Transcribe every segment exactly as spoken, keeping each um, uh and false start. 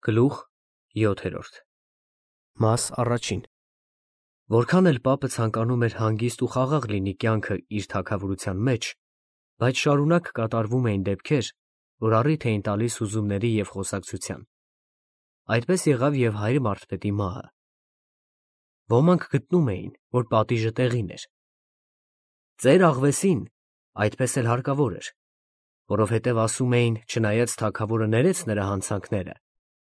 Գլուխ յոթերորդ Մաս առաջին Որքան էլ պապը ցանկանում էր հանգիստ ու խաղաղ լինի կյանքը իր թագավորության մեջ, բայց շարունակ կատարվում էին դեպքեր, որ առիթ էին տալիս հուզումների և խոսակցության։ Այդպես եղավ և հայր Մարթպետի մահը։ Ոմանք գտնում էին, որ պատիժը տեղին էր։ Ծեր աղվեսին այդպես էլ հարկավոր էր, որովհետև ասում էին, չնայած թագավորը ներեց նրա հանցանքները,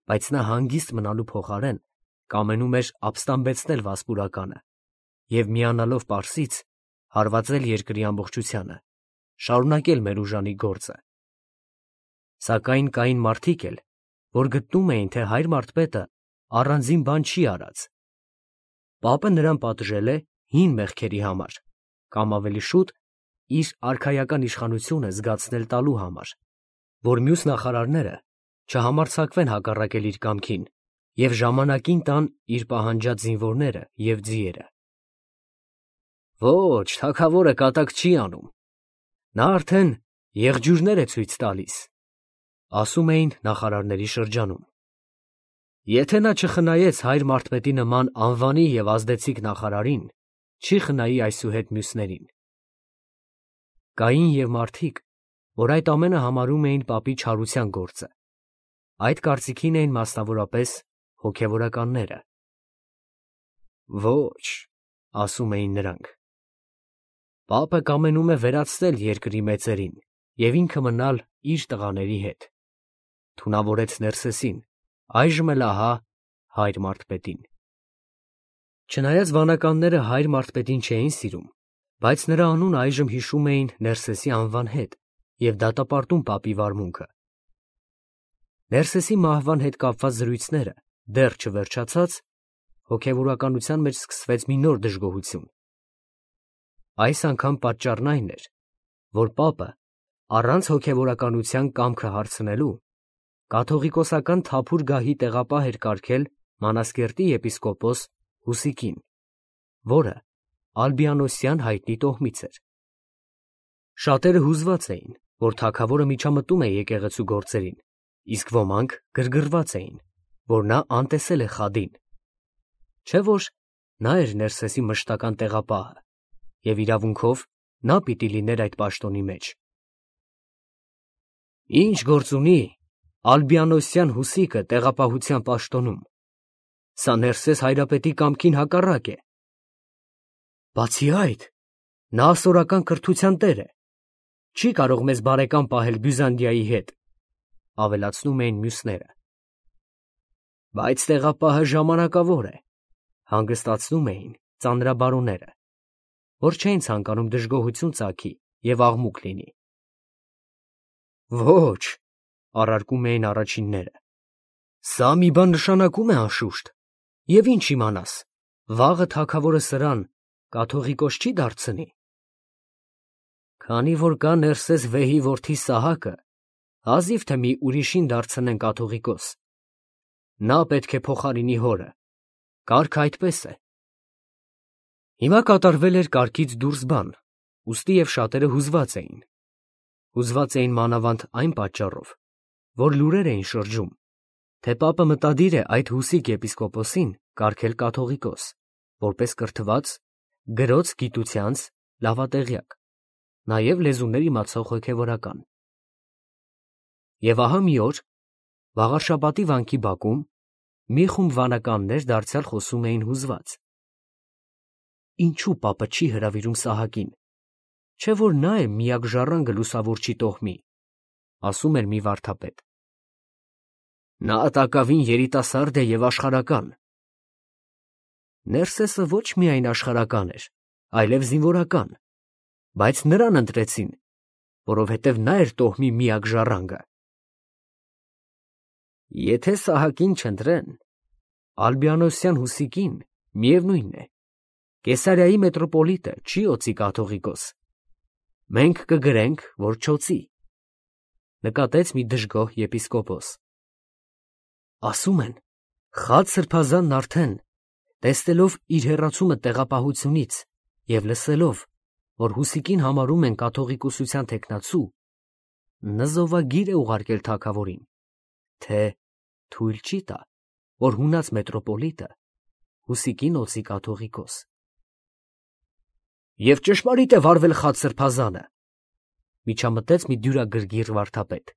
բայց նա հանգիստ մնալու փոխարեն կամենում էր ապստամբեցնել վասպուրականը և միանալով Պարսից հարվածել երկրի ամբողջությանը, շարունակել մեր ուժանի գործը։ Սակայն կային մարդիկ էլ, որ գտնում էին, թե հայր Մարթպետը առանձին բան չի արած։ Պապը նրան պատժել է հին մեղքերի համար, կամ ավելի շուտ իր արքայական իշխանությունը զգացնել տալու համար, որ մյուս նախարարները չհամարձակվեն հակառակել իր կամքին և ժամանակին տան իր պահանջած զինվորները և ձիերը։ Ոչ, թագավորը կատակ չի անում, նա արդեն եղջյուրներ է ցույց տալիս, ասում էին նախարարների շրջանում։ Եթե նա չխնայեց հայր Մարթպետի նման անվանի և ազդեցիկ նախարարին, չի խնայի այսուհետ մյուսներին։ Կային և մարդիկ, որ այդ ամենը համարում էին պապի չարության գործը։ Այդ կարծիքին էին մասնավորապես հոգևորականները։ Ոչ, ասում էին նրանք, պապը կամենում է վերացնել երկրի մեծերին և ինքը մնալ իր տղաների հետ։ Թունավորեց Ներսեսին, այժմ էլ ահա հայր Մարթպետին։ Չնայած վանականները հայր Մարթպետին չէին սիրում, բայց նրա անունը այժմ հիշում էին Ներսեսի անվան հետ և դատապարտում պապի վարմունքը։ Ներսեսի մահվան հետ կապված զրույցները դեռ չվերջացած, հոգևորականության մեջ սկսվեց մի նոր դժգոհություն։ Այս անգամ պատճառն այն էր, որ պապը առանց հոգևորականության կամքը հարցնելու կաթողիկոսական թափուր գահի տեղապահ էր կարգել Մանասկերտի եպիսկոպոս Հուսիկին, որը ալբիանոսյան հայտնի տոհմից էր։ Շատերը հուզված էին, որ թագավորը միջամտում է եկեղեցու գործերին, իսկ ոմանք գրգռված էին, որ նա անտեսել է խադին, չէ՞ որ նա էր Ներսեսի մշտական տեղապահը, և իրավունքով նա պիտի լիներ այդ պաշտոնի մեջ։ Ինչ գործ ունի ալբիանոսյան Հուսիկը տեղապահության պաշտոնում, սա Ներսես հայրապետի կամքին հակառակ է։ Բացի այդ, նա ասորական կրթության տեր է, չի կարող մեզ բարեկամ պահել Բյուզանդիայի հետ, ավելացնում էին մյուսները։ Բայց տեղապահը ժամանակավոր է, հանգստացնում էին ծանրաբարոները, որ չէին ցանկանում դժգոհություն ծագի և աղմուկ լինի։ Ոչ, առարկում էին առաջինները, սա մի բան նշանակում է անշուշտ, և ինչ իմանաս, վաղը թագավորը սրան կաթողիկոս չի դարձնի։ Քանի որ կա Ներսես վեհի որդի Սահակը, հազիվ թե մի ուրիշին դարձնեն կաթողիկոս, նա պետք է փոխարինի հորը, կարգը այդպես է։ Հիմա կատարվել էր կարգից դուրս բան, ուստի և շատերը հուզված էին։ Հուզված էին մանավանդ այն պատճառով, որ լուրեր էին շրջում, թե պապը մտադիր է այդ Հուսիկ եպիսկոպոսին կարգել կաթողիկոս, որպես կրթված, գրոց գիտությանց լավատեղյակ, նաև լեզուներ իմացող հոգևորական։ Եվ ահա մի օր, վաղարշաբաթի վանքի բակում, մի խումբ վանականներ դարձյալ խոսում էին հուզված. Ինչու պապը չի հրավիրում Սահակին, չէ՞ որ նա է միակ ժառանգը լուսավորչի տոհմի, ասում էր մի վարդապետ։ Նա տակավին երիտասարդ է և աշխարհական։ Ներսեսը ոչ միայն աշխարհական էր, այլև զինվորական, բայց նրան ընտրեցին, որովհետև նա էր տոհմի միակ ժառանգը։ Եթե Սահակին չընտրեն, ալբիանոսյան Հուսիկին, միևնույն է, Կեսարիայի մետրոպոլիտը չի օծի կաթողիկոս, մենք կգրենք, որ չօծի, նկատեց մի դժգոհ եպիսկոպոս։ Ասում են, Խաց սրբազանն արդեն, տեսնելով իր հեռացումը տեղապահությունից և լսելով, որ Հուսիկին համարում են կաթողիկոսության թեկնածու, նզովագիր է ուղարկել թագավորին, թե թույլ չի տա, որ հունած մետրոպոլիտը Հուսիկին օծի կաթողիկոս։ Եվ ճշմարիտ է վարվել խաց սրբազանը, միջամտեց մի դյուրագրգիռ վարդապետ։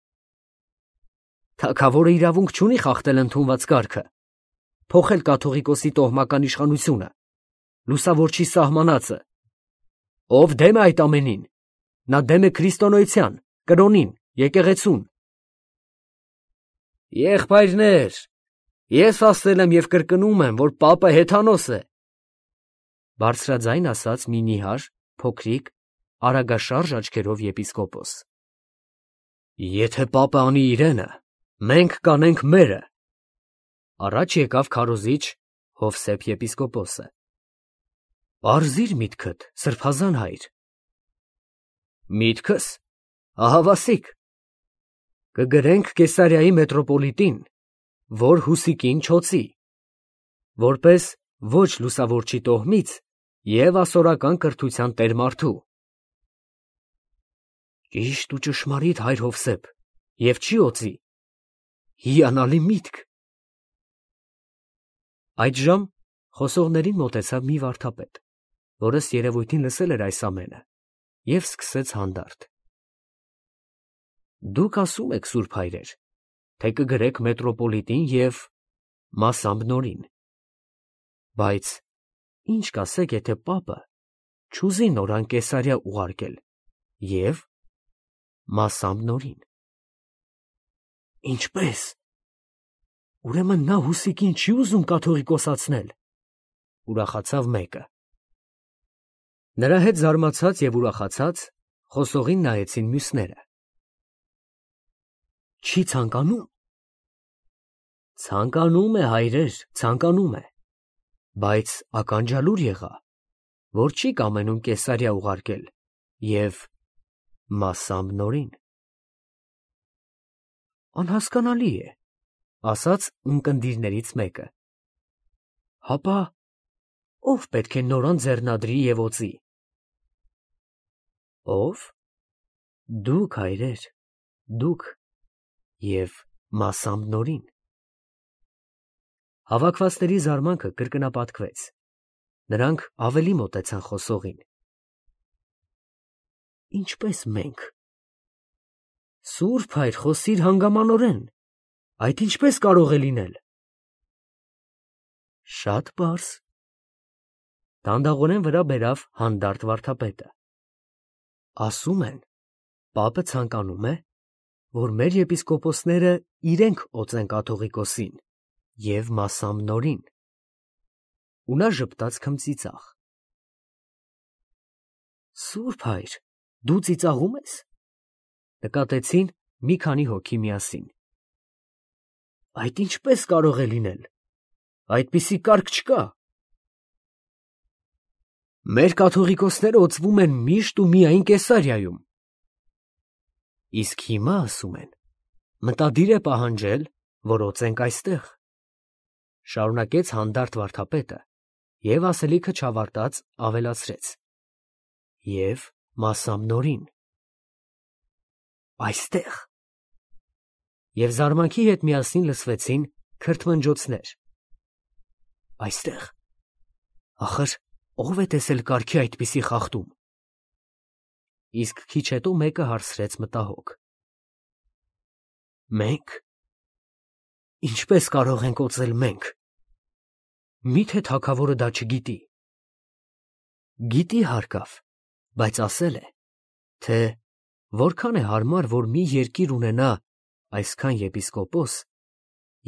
Թագավորը իրավունք չունի խախտել ընդունված կարգը, փոխել կաթողիկոսի տոհմական իշխանությունը, լուսավորչի սահմանածը։ Ով դեմ է այդ ամենին, նա դեմ է քրիստոնեության, կրոնին, եկեղեցուն։ Եղբայրներ, ես ասել եմ և կրկնում եմ, որ պապը հեթանոս է, բարձրաձայն ասաց մի նիհար, փոքրիկ, արագաշարժ աչքերով եպիսկոպոս։ Եթե պապը անի իրենը, մենք կանենք մերը, առաջ եկավ քարոզիչ Հովսեփ եպիսկոպոսը։ Պարզիր միտքդ, սրբազան հայր։ Միտքս, ահավասիկ, կգրենք Կեսարիայի մետրոպոլիտին, որ Հուսիկին չօծի, որպես ոչ լուսավորչի տոհմից և ասորական կրթության տերմարդու։ Ճիշտ ու ճշմարիտ հայր Հովսեփ, և չի օծի, հիանալի միտք։ Այդժամ խոսողներին մոտեցավ մի վարդապետ, որ ըստ երևույթին լսել էր այս ամենը, և սկսեց հանդարտ. Դուք ասում եք, սուրբ հայրեր, թե կգրեք մետրոպոլիտին և մասամբ նորին, բայց ինչ կասեք, եթե պապը չուզի նորան Կեսարիա ուղարկել և մասամբ նորին։ Ինչպե՞ս, ուրեմն նա Հուսիկին չի ուզում կաթողիկոսացնել, ուրախացավ մեկը։ Նրա հետ զարմացած և ուրախացած խոսողին նայեցին մյուսները։ Չի ցանկանում։ Ցանկանում է, հայրեր, ցանկանում է, բայց ականջալուր եղա, որ չի կամենում Կեսարիա ուղարկել և մասամբ նորին։ Անհասկանալի է, ասաց ունկնդիրներից մեկը։ Հապա ով պետք է նորան ձեռնադրի և օծի։ Ով։ Դուք, հայրեր, դուք և մասամբ նորին։ Հավաքվածների զարմանքը կրկնապատկվեց, նրանք ավելի մոտեցան խոսողին։ Ինչպես մենք։ Սուրբ հայր, խոսիր հանգամանորեն, այդ ինչպես կարող է լինել։ Շատ պարզ։ Դանդաղորեն վրա բերավ հանդարտ վարդապետը։ Ասում են, պապը ցանկանում է, որ մեր եպիսկոպոսները իրենք օծեն կաթողիկոսին և մասամբ նորին։ Ու նա ժպտաց քմծիծաղ։ Սուրբ հայր, դու ծիծաղում ես։ Նկատեցին մի քանի հոգի միասին։ Այդ ինչպես կարող է լինել, այդպիսի կարգ չկա։ Մեր կաթողիկոսները օծվում են միշտ ու միայն Կեսարիայում։ Իսկ հիմա ասում են, մտադիր է պահանջել, որ օծենք այստեղ, շարունակեց հանդարտ վարդապետը և ասելիքը չավարտած ավելացրեց. Եվ մասամբ նորին։ Այստեղ։ Եվ զարմանքի հետ միասին լսվեցին քրթմնջոցներ։ Այստեղ։ Ախր ով է տեսել կարգի այդպիսի խախտում։ Իսկ քիչ հետո մեկը հարցրեց մտահոգ. Մենք։ Ինչպես կարող ենք օծել մենք։ Միթե թագավորը դա չգիտի։ Գիտի հարկավ, բայց ասել է, թե որքան է հարմար, որ մի երկիր ունենա այսքան եպիսկոպոս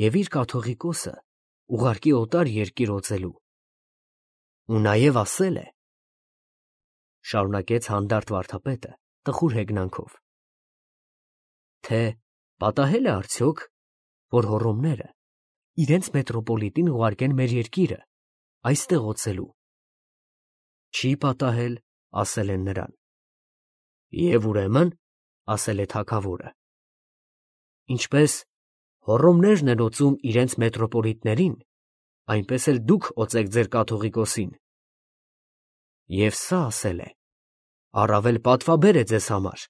և իր կաթողիկոսը ուղարկի օտար երկիր օծելու։ Ու նաև ասել է, շարունակեց հանդարտ վարդապետը տխուր հեգնանքով, թե պատահել է արդյոք, որ հոռոմները իրենց մետրոպոլիտին ուղարկեն մեր երկիրը այստեղ օծելու։ Չի պատահել, ասել են նրան։ Եվ ուրեմն, ասել է թագավորը, ինչպես հոռոմներն են օծում իրենց մետրոպոլիտներին, այնպես էլ դուք օծեք ձեր կաթողիկոսին։ Եվ սա ասել է, առավել պատվաբեր է ձեզ համար։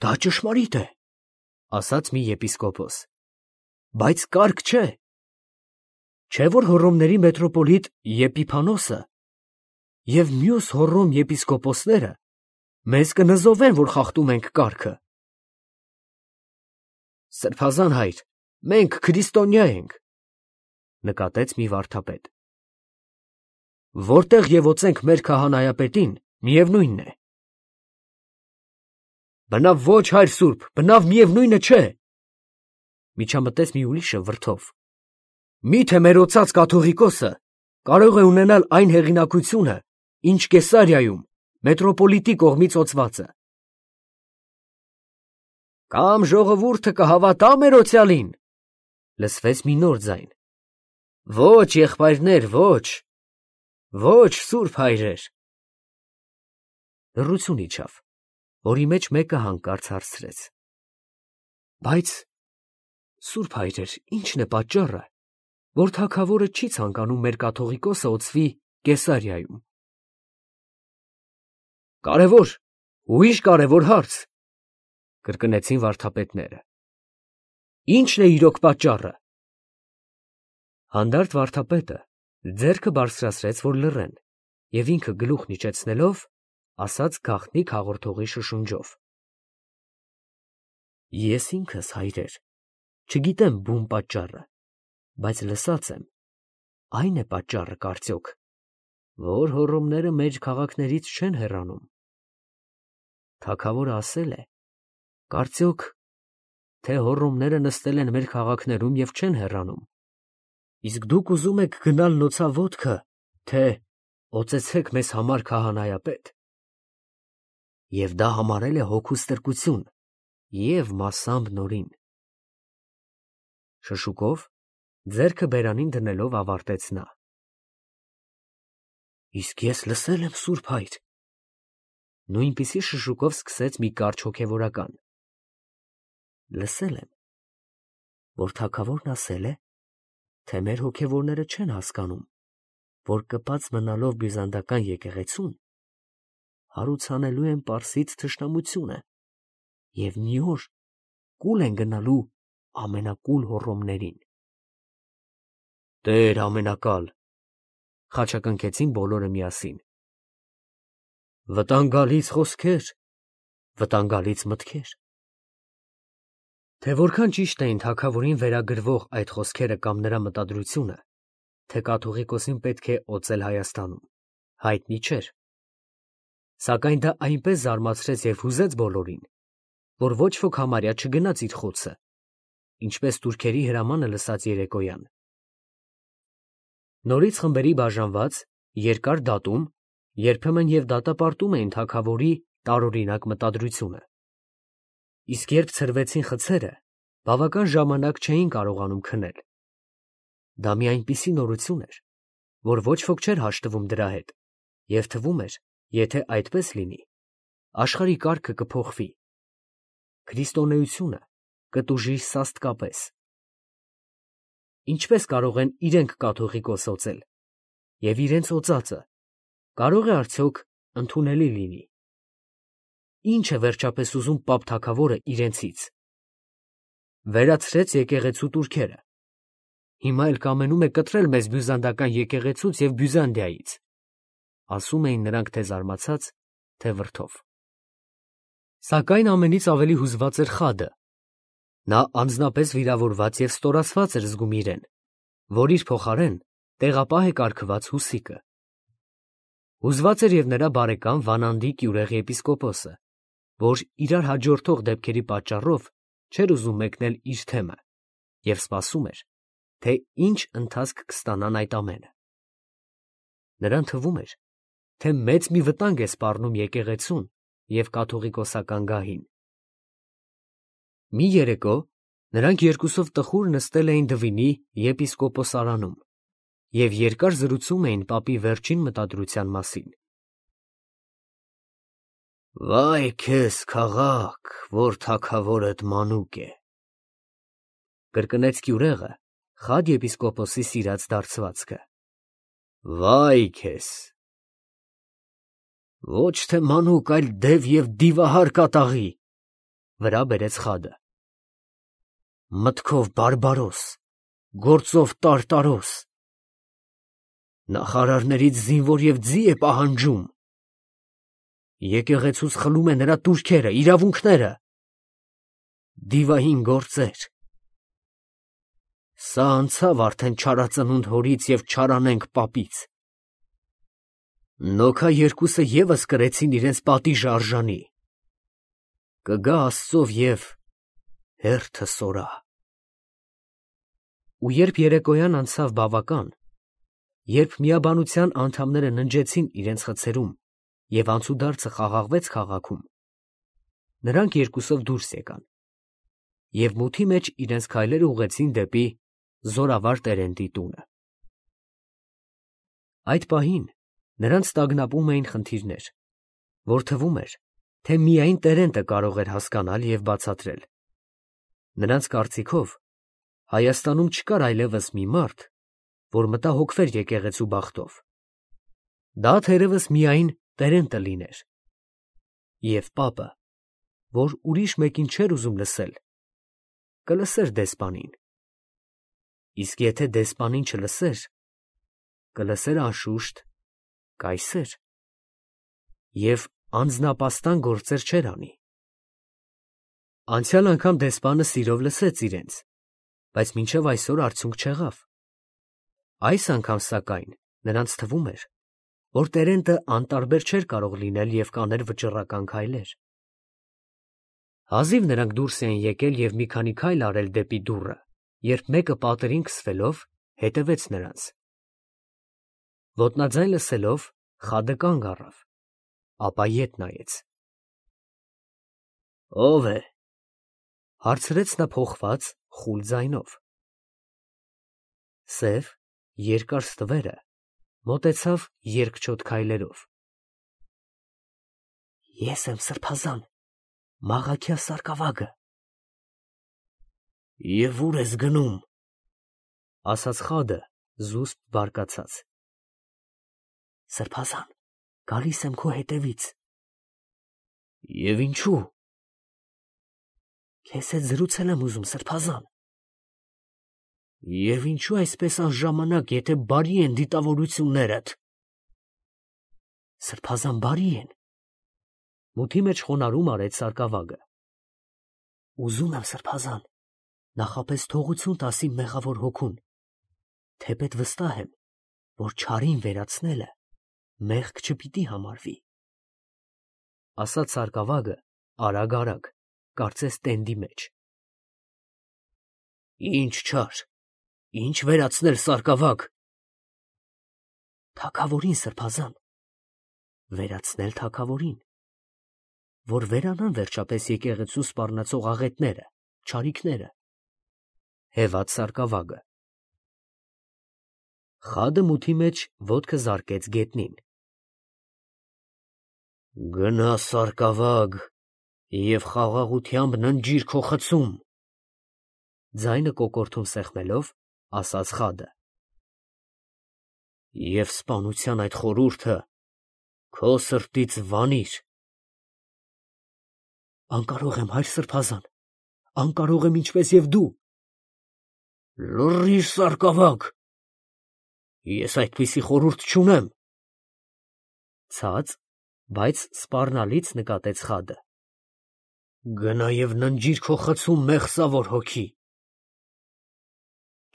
Դա ճշմարիտ է, ասաց մի եպիսկոպոս։ բայց կարգ չէ։ Չէ՞ որ Հոռոմների մետրոպոլիտ Եփիփանոսը և մյուս Հոռոմ եպիսկոպոսները մեզ կնզովեն, որ խախտում ենք կարգը։ Սրբազան հայր, մենք քրիստոնյա ենք, նկատեց մի վարդապետ։ Որտեղ ևոցենք մեր քահանայապետին, միևնույնն է։ Բնավ ոչ, հայր սուրբ, բնավ միևնույնը չէ, միջամտեց մի ուրիշը վրդով։ Միթե մեր օծած կաթողիկոսը կարող է ունենալ այն հեղինակությունը, ինչ Կեսարիայում մետրոպոլիտի կողմից օծված է։ Կամ ժողովուրդը կհավատա մերոցյալին, լսվեց մի նոր ձայն։ Ոչ, եղբայրներ, ոչ, ոչ, սուրբ հայրեր։ Լռություն իջավ, որի մեջ մեկը հանկարծ հարցրեց. Բայց, սուրբ հայրեր, ի՞նչն է պատճառը, որ թագավորը չի ցանկանում մեր կաթողիկոսը օծվի Կեսարիայում։ Կարևոր, ուրիշ կարևոր հարց, կրկնեցին վարդապետները։ Ի՞նչն է իրոք պատճառը։ Հանդարտ վարդապետը ձեռքը բարձրացրեց, որ լռեն, և ինքը գլուխն իջեցնելով, ասաց գաղտնիք հաղորդողի շշունջով. Ես ինքս, հայրեր, չգիտեմ բուն պատճառը, բայց լսած եմ, այն է պատճառը կարծոք, որ Հոռոմները մեր քաղաքներից չեն հեռանում։ Թագավորը ասել է, կարծոք, թե Հոռոմները նստել են մեր քաղաքներում և չեն հեռանում, իսկ դուք ուզում եք գնալ նոցավոտքը, թե օծեցեք մեզ համար քահանայապետ։ Եվ դա համարել է հոգու ստրկություն և մասամբ նորին։ Շշուկով, ձեռքը բերանին դնելով ավարտեց նա. Իսկ ես լսել եմ, սուրբ հայր։ Նույնպիսի շշուկով սկսեց մի կարճ հոգևորական. Լսել եմ, որ թագավորն ասել է, թե մեր հոգևորները չեն հասկանում, որ կպած մնալով բյուզանդական եկեղեցուն, հարուցանելու են պարսից թշնամությունը և մի օր կուլ են գնալու ամենակուլ Հոռոմներին։ Տեր ամենակալ, խաչակնքեցին բոլորը միասին։ Վտանգալից խոսքեր, վտանգալից մտքեր։ Թե որքան ճիշտ էին թագավորին վերագրվող այդ խոսքերը կամ նրա մտադրությունը, թե կաթողիկոսին պետք է օծել Հայաստանում, հայտնի չէր։ Սակայն դա այնպես զարմացրեց և հուզեց բոլորին, որ ոչ ոք համարյա չգնաց իր խոցը, ինչպես թուրքերի հրամանը լսած երեկոյան։ Նորից խմբերի բաժանված, երկար դատում, երբեմն և դատապարտում էին թագավորի տարօրինակ մտադրությունը։ Իսկ երբ ցրվեցին խցերը, բավական ժամանակ չէին կարողանում քնել։ Դա մի այնպիսի նորություն էր, որ ոչ ոք չէր հաշտվում դրա հետ, և թվում էր, եթե այդպես լինի, աշխարհի կարգը կփոխվի, քրիստոնեությունը կտուժի սաստկապես։ Ինչպես կարող են իրենք կաթողիկոս օծել, և իրենց օծածը կարող է արդյոք ընդունելի լինի։ Ինչ է վերջապես ուզում պապ թագավորը իրենցից։ Վերացրեց եկեղեցու տուրքերը, հիմա էլ կամենում է կտրել մեզ բյուզանդական եկեղեցուց և Բյուզանդիայից, ասում էին նրանք թե զարմացած, թե վրդով։ Սակայն ամենից ավելի հուզված էր Խադը։ Նա անձնապես վիրավորված և ստորացված էր զգում իրեն, որ իր փոխարեն տեղապահ է կարգված Հուսիկը։ Հուզված էր և նրա բարեկամ Վանանդի կյուրեղ եպիսկոպոսը, որ իրար հաջորդող դեպքերի պատճառով չէր ուզում մեկնել իր թեմը և սպասում էր, թե ինչ ընթացք կստանան այդ ամենը։ Նրան թվում էր, թե մեծ մի վտանգ է սպառնում եկեղեցուն և կաթողիկոսական գահին։ Մի երեկո նրանք երկուսով տխուր նստել էին Դվինի եպիսկոպոսարանում և երկար զրուցում էին պապի վերջին մտադրության մասին։ Վայ քեզ, քաղաք, որ թագավորդ մանուկ է, կրկնեց կյուրեղը Խադ եպիսկոպոսի սիրած դարձվածքը։ Վայ քեզ։ Ոչ թե մանուկ, այլ դև և դիվահար կատաղի, վրա բերեց Խադը։ մտքով բարբարոս, գործով տարտարոս, նախարարներից զինվոր և ձի է պահանջում, եկեղեցուց խլում է նրա տուրքերը, իրավունքները, դիվային գործեր, սա անցավ արդեն չարածնունդ հորից և չարանենգ պապից, նոքա երկուսը ևս կրեցին իրենց պատիժը արժանի, կգա Աստծով և հերթը սորա։ Ու երբ երեկոյան անցավ բավական, երբ միաբանության անդամները ննջեցին իրենց խցերում և անցուդարձը խաղաղվեց քաղաքում, նրանք երկուսով դուրս եկան և մութի մեջ իրենց քայլերը ուղղեցին դեպի Զորավար Տերենտի տունը։ Այդ պահին նրանց տագնապում էին խնդիրներ, որ թվում էր, թե միայն Տերենտը կարող էր հասկանալ և բացատրել։ Նրանց կարծիքով Հայաստանում չկար այլևս մի մարդ, որ մտահոգվեր եկեղեցու բախտով։ Դա թերևս միայն Տերենտը լիներ։ Եվ պապը, որ ուրիշ մեկին չէր ուզում լսել, կլսեր դեսպանին։ Իսկ եթե դեսպանին չլսեր, կլսեր անշուշտ կայսեր և անձնապաստան գործեր չէր անի։ Անցյալ անգամ դեսպանը սիրով լսեց իրենց, բայց մինչև այսօր արդյունք չեղավ։ Այս անգամ, սակայն, նրանց թվում էր, որ Տերենտը անտարբեր չէր կարող լինել և կաներ վճռական քայլեր։ Հազիվ նրանք դուրս էին եկել և մի քանի քայլ արել դեպի դուռը, երբ մեկը պատերին քսվելով հետևեց նրանց։ Ոտնաձայն լսելով, խադը կանգ առավ, ապա ետ նայեց։ ո՞վ է, հարցրեց նա փոխված, խուլ ձայնով։ Սև, երկար ստվերը մոտեցավ երկչոտ քայլերով։ Ես եմ սրբազան, Մաղաքիա սարկավագը։ Եվ ուր ես գնում, ասաց խադը զուսպ բարկացած։ Սրբազան, գալիս եմ քո հետևից։ Եվ ինչու։ Քեզ հետ զրուցել եմ ուզում, սրբազան։ Եվ ինչու այսպես անժամանակ, եթե բարի են դիտավորություններդ։ Սրբազան բարի են։ Մութի մեջ խոնարհում արեց սարկավագը։ Ուզում եմ, սրբազան, նախապես թողություն տաս իմ մեղավոր հոգուն, թեպետ վստահ եմ, որ չարին վերացնելը մեղք չպիտի համարվի։ Ասաց սարկավագը արագ-արագ, կարծես տենդի մեջ։ Ինչ չար, ինչ վերացնել, սարկավագ։ Թագավորին, սրբազան, վերացնել թագավորին, որ վերանան վերջապես եկեղեցու սպառնացող աղետները, չարիքները, հևաց սարկավագը։ Խադը մութի մեջ ոտքը զարկեց գետնին։ Գնա, սարկավագ, և խաղաղությամբ ննջիր քո խցում, ձայնը կոկորդում սեղմելով, ասաց խադը։ Եվ սպանության այդ խորհուրդը քո սրտից վանիր։ Անկարող եմ, հայր սրբազան, անկարող եմ ինչպես և դու։ Լռիր, սարկավագ, ես այդպիսի խորհուրդ չունեմ։ Ցած, բայց սպառնալից նկատեց խադը։ Գնա և ննջիր քո խցում, մեղսավոր հոգի։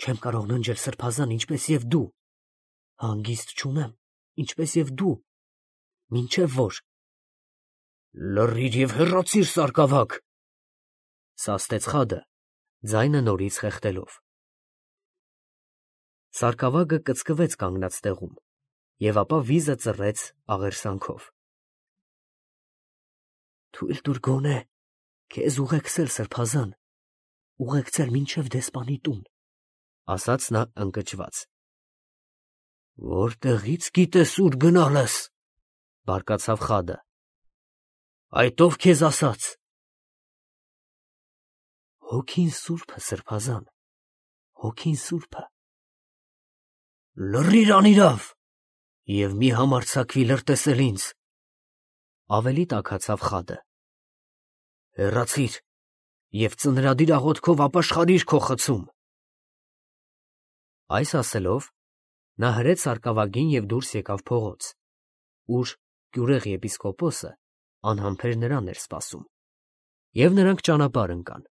Չեմ կարող ննջել, սրբազան, ինչպես և դու, հանգիստ չունեմ, ինչպես և դու, մինչև որ։ Լռիր և հեռացիր, սարկավագ, սաստեց խադը, ձայնը նորից խեղդելով։ Սարկավագը կծկվեց կանգնած տեղում և ապա վիզը ծռեց աղերսանքով։ Թույլ տուր գոնե քեզ ուղեկցել, սրբազան, ուղեկցել մինչև դեսպանի տուն, ասաց նա ընկճված։ Որտեղից գիտես ուր գնալս, բարկացավ խադը։ Այդ ով քեզ ասաց։ Հոգին սուրբը, սրբազան, հոգին սուրբը։ Լռիր անիրավ և մի համարձակվի լրտեսել ինձ, ավելի տաքացավ խադը։ Հեռացիր և ծնրադիր աղոթքով ապաշխարիր քո խցում։ Այս ասելով, նա հրեց սարկավագին և դուրս եկավ փողոց, ուր գյուղեղ եպիսկոպոսը անհամբեր նրան էր սպասում, և նրանք ճանապարհ ընկան։